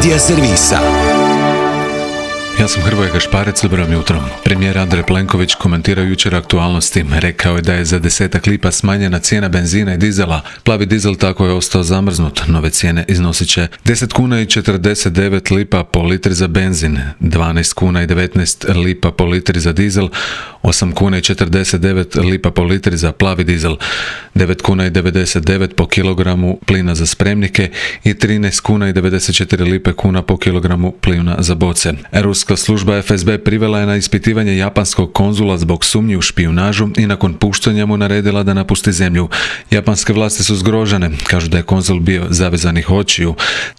Medija servisa. Ja sam Hrvoje Gašparec, dobro jutro. Premijer Andrej Plenković komentirao jučer aktualnosti. Rekao je da je za 10 lipa smanjena cijena benzina i dizela. Plavi dizel tako je ostao zamrznut. Nove cijene iznosit će 10 kuna i 49 lipa po litri za benzin, 12 kuna i 19 lipa po litri za dizel, 8 kuna i 49 lipa po litri za plavi dizel, 9 kuna i 99 po kilogramu plina za spremnike i 13 kuna i 94 lipe kuna po kilogramu plina za boce. Ruska služba FSB privela je na ispitivanje japanskog konzula zbog sumnji u špijunažu i nakon puštanja mu naredila da napusti zemlju. Japanske vlasti su zgrožene, kažu da je konzul bio zavezanih očiju.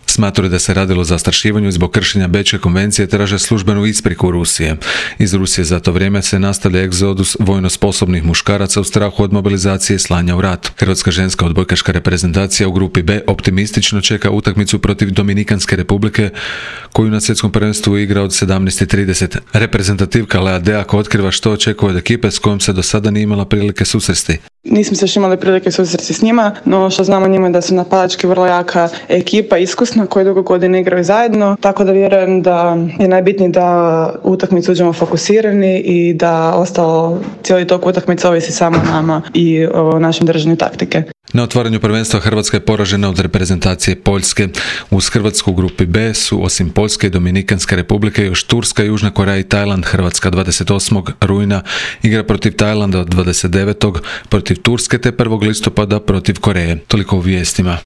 Smatraju da se radilo o zastrašivanju zbog kršenja Bečke konvencije, traže službenu ispriku Rusije. Iz Rusije za to vrijeme se nastavlja egzodus vojno sposobnih muškaraca u strahu od mobilizacije i slanja u rat. Hrvatska ženska odbojkaška reprezentacija u grupi B optimistično čeka utakmicu protiv Dominikanske republike, koju na svjetskom prvenstvu igra od 17:30. Reprezentativka Lea Deak otkriva što očekuje od ekipe s kojom se do sada nije imala prilike susresti. Nismo se još imali prilike susresti s njima, no što znamo njima da su napadački vrlo jaka ekipa, iskusna, koji dugo godina igraju zajedno, tako da vjerujem da je najbitnije da utakmicu uđemo fokusirani i da ostalo cijeli tok utakmice ovisi samo o nama i o našem držanju taktike. Na otvaranju prvenstva Hrvatska je poražena od reprezentacije Poljske. Uz Hrvatsku u grupi B su osim Poljske i Dominikanske republike još Turska, Južna Koreja i Tajland. Hrvatska 28. rujna igra protiv Tajlanda, 29. protiv Turske te 1. listopada protiv Koreje. Toliko u vijestima.